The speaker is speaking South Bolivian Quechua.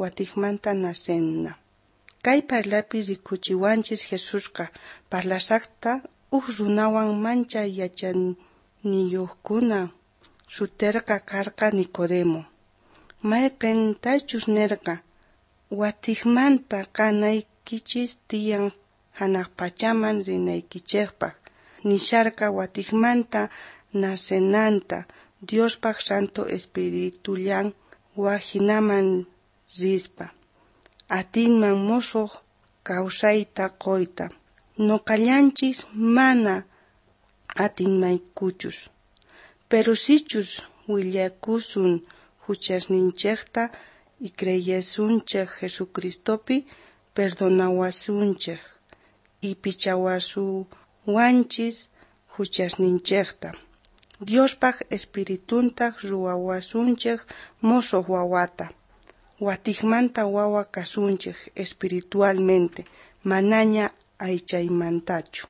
Watejmanta nacena. Kay parlaypi rikhuchiwanchis Jesusqa parlashajta uj runawan manchay yachaniyojkuna suterqa karqa Nicodemo. Mayqentachus nerqa, watejmanta kanaykichis tiyan janaj pachaman rinaykichejpaj. Nisharqa watejmanta nacenanta Diospaj Santo Espiritullan wajinaman rispa. Atinman mosoj kawsayta qoyta. Noqallanchis mana atinmaykuchus. Pero sichus willakusun juchasninchejta y creyesunchej Jesucristopi, perdonawasunchej y pichawasuwanchis juchasninchejta. Diospaj Espirituntaj ruwawasunchej mosoj wawata. Watejmanta wawa kasunchej espiritualmente, manaña aychaymantachu.